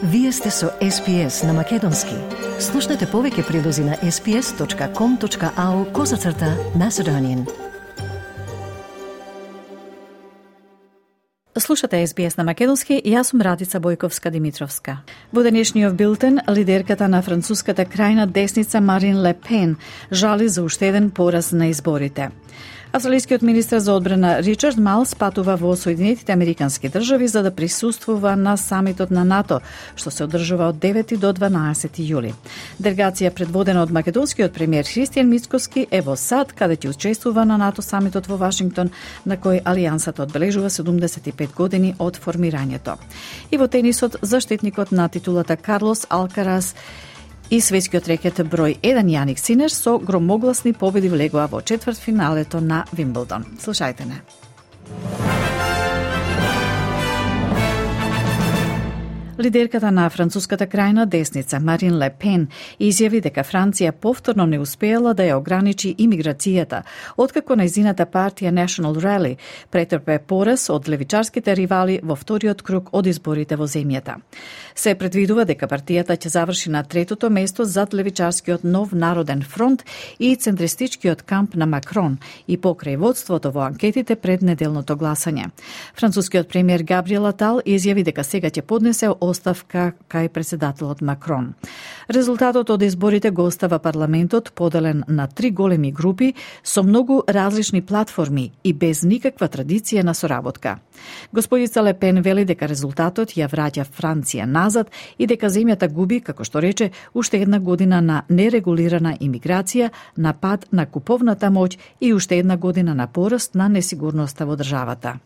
Вие сте со SPS на Македонски. Слушнете повеќе прилози на sps.com.au/Macedonian. Слушате SBS на Македонски, јас сум Радица Бојковска-Димитровска. Во денешниот билтен, лидерката на француската крајна десница Марин Ле Пен жали за уште еден пораз на изборите. Австралискиот министер за одбрана Ричард Малс патува во Соединетите Американски држави за да присуствува на самитот на НАТО, што се одржува од 9 до 12 јули. Делегација предводена од македонскиот премиер Христијан Мицкоски е во САД, каде ќе учествува на НАТО самитот во Вашингтон, на кој Алијансата одбележува 75 години од формирањето. И во тенисот, заштитникот на титулата Карлос Алкарас и светскиот рекет број 1 Јаник Синер со громогласни победи влегоа во четвртфиналето на Вимблдон. Слушајте не. Лидерката на француската крајна десница Марин Ле Пен изјави дека Франција повторно не успеела да ја ограничи имиграцијата, откако нејзината партија National Rally претрпе пораз од левичарските ривали во вториот круг од изборите во земјата. Се предвидува дека партијата ќе заврши на третото место зад левичарскиот Нов народен фронт и центристичкиот камп на Макрон и покрај водството во анкетите пред неделното гласање. Францускиот премиер Габриел Атал изјави дека сега ќе поднесе оставка кај председателот Макрон. Резултатот од изборите го остава парламентот поделен на 3 големи групи со многу различни платформи и без никаква традиција на соработка. Господица Ле Пен вели дека резултатот ја враќа Франција назад и дека земјата губи, како што рече, уште една година на нерегулирана имиграција, на пад на куповната моќ и уште една година на пораст на несигурноста во државата.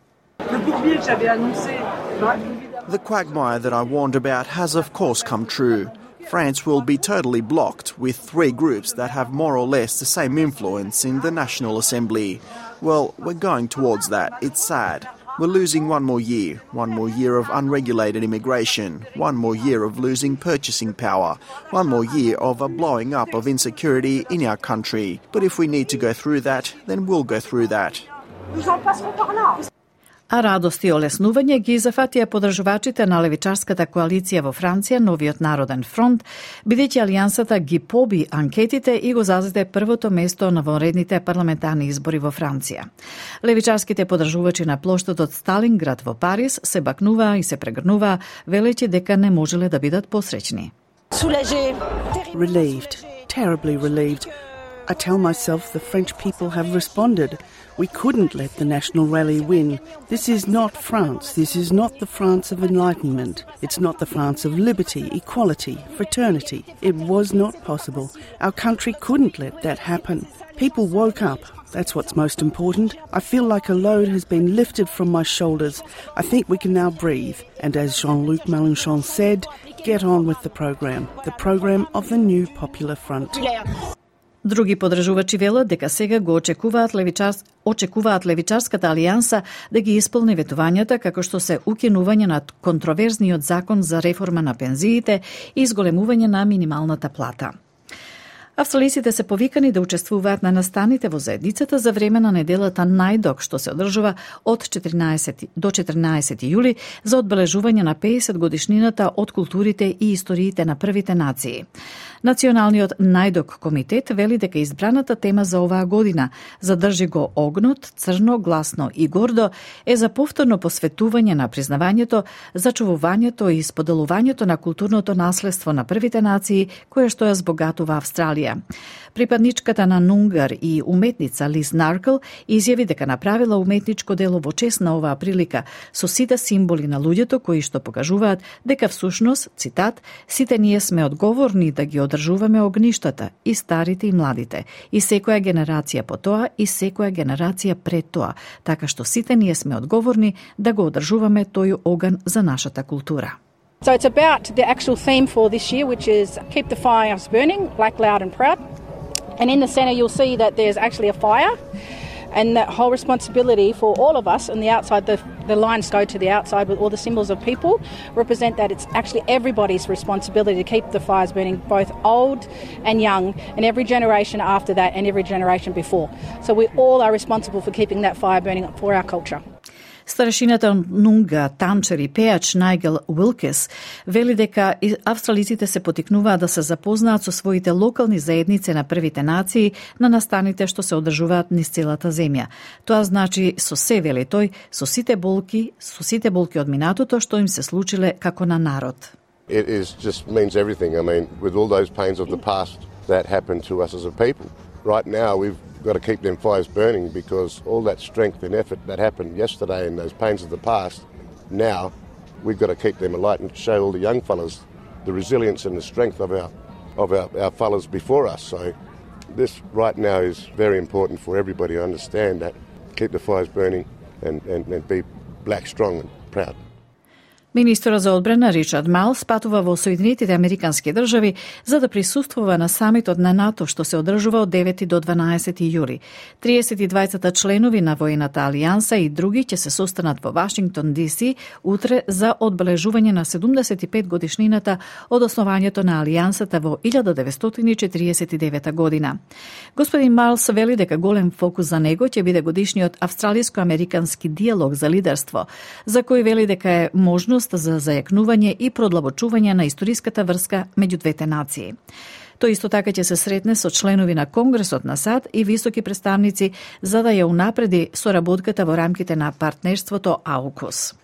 The quagmire that I warned about has of course come true. France will be totally blocked with 3 groups that have more or less the same influence in the National Assembly. Well, we're going towards that. It's sad. We're losing one more year of unregulated immigration, one more year of losing purchasing power, one more year of a blowing up of insecurity in our country. But if we need to go through that, then we'll go through that. А радост и олеснување ги зафатија подржувачите на левичарската коалиција во Франција, Новиот народен фронт, бидејќи Алијансата ги поби анкетите и го зазеде првото место на вонредните парламентарни избори во Франција. Левичарските подржувачи на плоштадот Сталинград во Париз се бакнуваа и се прегрнуваа, велејќи дека не можеле да бидат посреќни. Relieved, terribly relieved. I tell myself the French people have responded. We couldn't let the National Rally win. This is not France. This is not the France of enlightenment. It's not the France of liberty, equality, fraternity. It was not possible. Our country couldn't let that happen. People woke up. That's what's most important. I feel like a load has been lifted from my shoulders. I think we can now breathe. And as Jean-Luc Mélenchon said, get on with the program of the new Popular Front. Други подржувачи велат дека сега го очекуваат левичарската алијанса да ги исполни ветувањата, како што се укинување на контроверзниот закон за реформа на пензиите и изголемување на минималната плата. Австралиците се повикани да учествуваат на настаните во заедницата за време на неделата Најдок, што се одржува од 14 до 14 јули за одбележување на 50 годишнината од културите и историите на првите нации. Националниот Најдок комитет вели дека избраната тема за оваа година задржи го огнот, црно, гласно и гордо е за повторно посветување на признавањето, зачувувањето и споделувањето на културното наследство на првите нации, кое што ја збогатува Австралија. Припадничката на Нунгар и уметница Лиз Наркл изјави дека направила уметничко дело во чест на оваа прилика со сите символи на луѓето кои што покажуваат дека всушност, цитат, сите ние сме одговорни да ги одржуваме огништата, и старите и младите, и секоја генерација по тоа и секоја генерација пред тоа, така што сите ние сме одговорни да го одржуваме тој оган за нашата култура. So it's about the actual theme for this year, which is Keep the Fires Burning, Black, Loud and Proud. And in the centre you'll see that there's actually a fire, and that whole responsibility for all of us on the outside, the lines go to the outside with all the symbols of people, represent that it's actually everybody's responsibility to keep the fires burning, both old and young, and every generation after that and every generation before. So we all are responsible for keeping that fire burning for our culture. Старешината Нунга Тамчер и пеач Найгел Уилкес вели дека австралиците се потикнуваат да се запознаат со своите локални заедници на првите нации на настаните што се одржуваат низ целата земја. Тоа значи со се, вели тој, со сите болки од минатото што им се случиле како на народ. It just means everything. I mean, with all those pains of the past that happened to us as a people. Right now, we've got to keep them fires burning because all that strength and effort that happened yesterday and those pains of the past, now we've got to keep them alight and show all the young fellas the resilience and the strength of our fellas before us. So this right now is very important for everybody to understand that. Keep the fires burning and be black, strong and proud. Министерот за одбрана Ричард Малс патува во Соединетите Американски држави за да присуствува на самитот на НАТО што се одржува од 9 до 12 јули. 32 членови на воената алијанса и други ќе се состанат во Вашингтон ДС утре за одбележување на 75 годишнината од основањето на алијансата во 1949 година. Господин Малс вели дека голем фокус за него ќе биде годишниот австралиско-американски диалог за лидерство, за кој вели дека е можност за зајакнување и продлабочување на историската врска меѓу двете нации. Тој исто така ќе се сретне со членови на Конгресот на САД и високи представници за да ја унапреди соработката во рамките на партнерството AUKUS.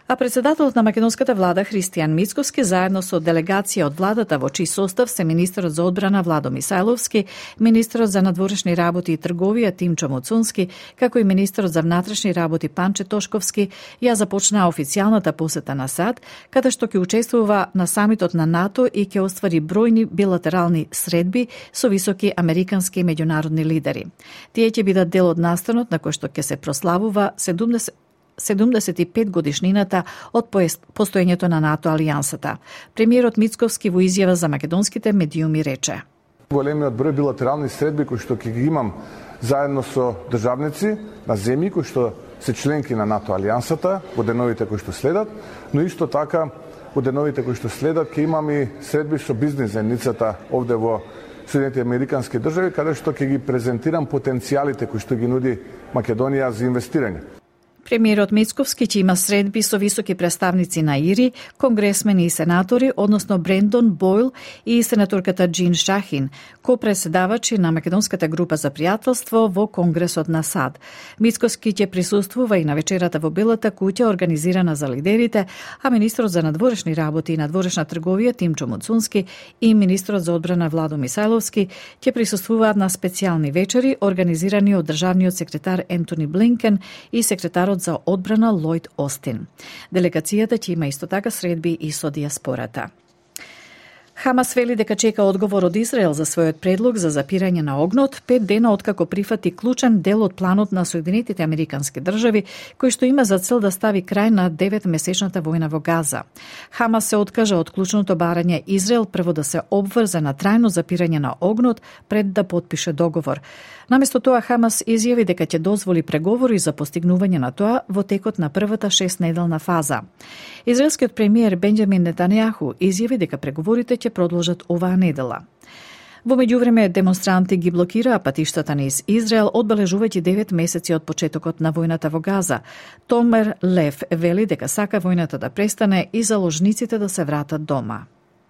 А председателот на македонската влада Христијан Мицковски заедно со делегација од владата во чиј состав се министерот за одбрана Владо Мисајловски, министерот за надворешни работи и трговија Тимчо Муцунски, како и министерот за внатрешни работи Панче Тошковски ја започнаа официјалната посета на САД, каде што ќе учествува на самитот на НАТО и ќе оствари бројни билатерални средби со високи американски и меѓународни лидери. Тие ќе бидат дел од настанот на кој што ќе се прославува 75 годишнината од постоењето на НАТО алијансата. Премиерот Мицковски во изјава за македонските медиуми рече: Големиот број билатерални средби кои што ќе ги имам заедно со државници на земји кои што се членки на НАТО алијансата во деновите кои што следат, но исто така во деновите кои што следат ќе имам и средби со бизнис заедницата овде во Соединетите Американски држави, каде што ќе ги презентирам потенцијалите кои што ги нуди Македонија за инвестирање. Премиерот Мицковски ќе има средби со високи представници на ИРИ, конгресмени и сенатори, односно Брендон Бойл и сенаторката Джин Шахин, ко-преседавачи на македонската група за пријателство во Конгресот на САД. Мицковски ќе присуствува и на вечерата во Белата куќа организирана за лидерите, а министрот за надворешни работи и надворешна трговија Тимчо Муцунски и министрот за одбрана Владо Мисајловски ќе присуствуваат на специјални вечери организирани од државниот секретар Ентони Блинкен и секретарот за одбрана Лојд Остин. Делегацијата ќе има исто така средби и со диаспората. Хамас вели дека чека одговор од Израел за својот предлог за запирање на огнот 5 дена откако прифати клучен дел од планот на Соединетите Американски држави, кој што има за цел да стави крај на 9-месечната војна во Газа. Хамас се откажа од клучното барање Израел прво да се обврзе на трајно запирање на огнот пред да потпише договор. Наместо тоа Хамас изјави дека ќе дозволи преговори за постигнување на тоа во текот на првата 6-неделна фаза. Израелскиот премиер Бенџамин Нетањаху изјави дека преговорите ќе продолжат оваа недела. Во меѓувреме демонстранти ги блокираа патиштата низ Израел, одбележувајќи 9 месеци од почетокот на војната во Газа. Томер Лев вели дека сака војната да престане и заложниците да се вратат дома.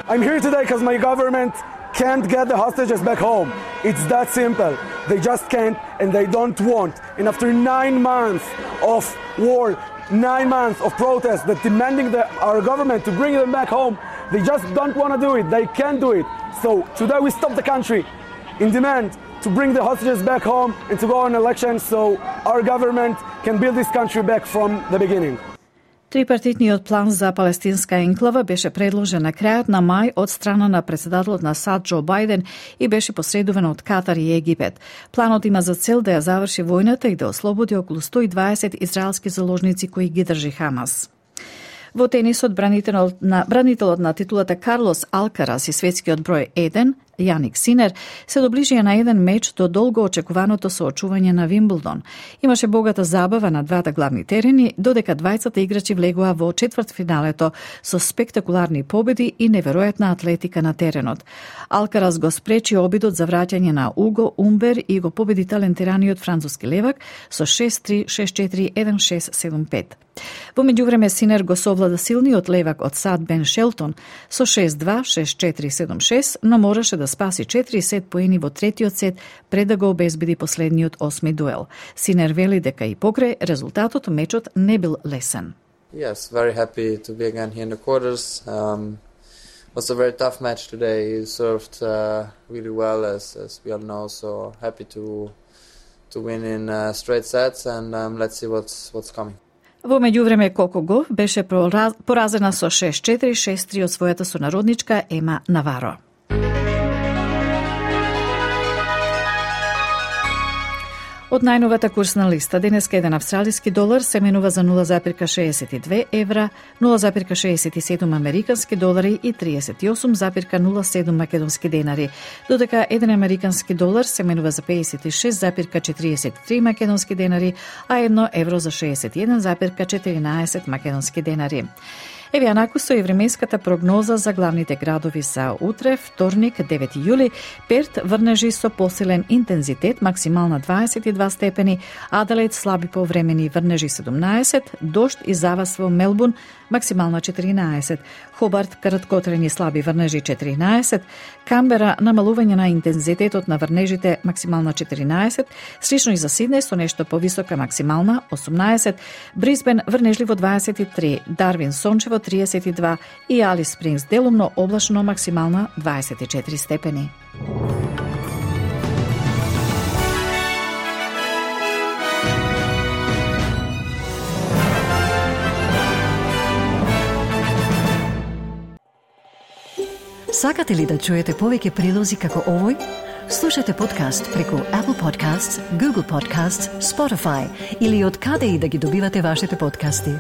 I'm here today because my government can't get the hostages back home. It's that simple. They just can't and they don't want. And after 9 months of war, 9 months of protest that demanding our government to bring them back home, they just don't want to do it. They can't do it. So today we stop the country in demand to bring the hostages back home and to go on elections so our government can build this country back from the beginning. Трипартитниот план за палестинска енклава беше предложен на крајот на мај од страна на председателот на САД Џо Бајден и беше посредуван од Катар и Египет. Планот има за цел да ја заврши војната и да ослободи околу 120 израелски заложници кои ги држи Хамас. Во тенисот бранителот на титулата Карлос Алкарас и светскиот број 1 Јаник Синер се доближија на еден меч до долго очекуваното соочување на Вимблдон. Имаше богата забава на двата главни терени, додека двајцата играчи влегоа во четвртфиналето со спектакуларни победи и неверојатна атлетика на теренот. Алкарас го спречи обидот за враќање на Уго Умбер и го победи талентираниот француски левак со 6-3, 6-4, 1-6, 7-5. Во меѓувреме Синер го совлада силниот левак од САД Бен Шелтон со 6-2, 6-4, 7-6, но мораше да спаси 4 сет поени во третиот сет пред да го обезбеди последниот 8ми дуел. Синер вели дека и покрај резултатот мечот не бил лесен. Yes, very happy to be again here in the quarters. Was a very tough match today. He served really well, as we all know. So happy to win in straight sets, and let's see what's coming. Во меѓувреме Коко Гауф беше поразена со 6-4, 6-3 од својата сонародничка Ема Наваро. Од најновата курсна листа, денеска еден австралиски долар се менува за 0,62 евра, 0,67 американски долари и 38,07 македонски денари, додека еден американски долар се менува за 56,43 македонски денари, а 1 евро за 61,14 македонски денари. Еве анаку со и временската прогноза за главните градови за утре, вторник, 9 јули, Перт врнежи со посилен интензитет, максимална 22 степени, Аделаид слаби повремени врнежи 17, дожд и завас во Мелбурн, максимална 14, Хобарт краткотрени слаби врнежи 14, Камбера намалување на интензитетот на врнежите максимална 14, слично и за Сиднеј со нешто повисока максимална 18, Брисбен врнежливо 23, Дарвин сончево 32 и Алис Спрингс делумно облачно максимална 24 степени. Сакате ли да чуете повеќе прилози како овој? Слушате подкаст преку Apple Podcasts, Google Podcasts, Spotify или од каде и да ги добивате вашите подкасти.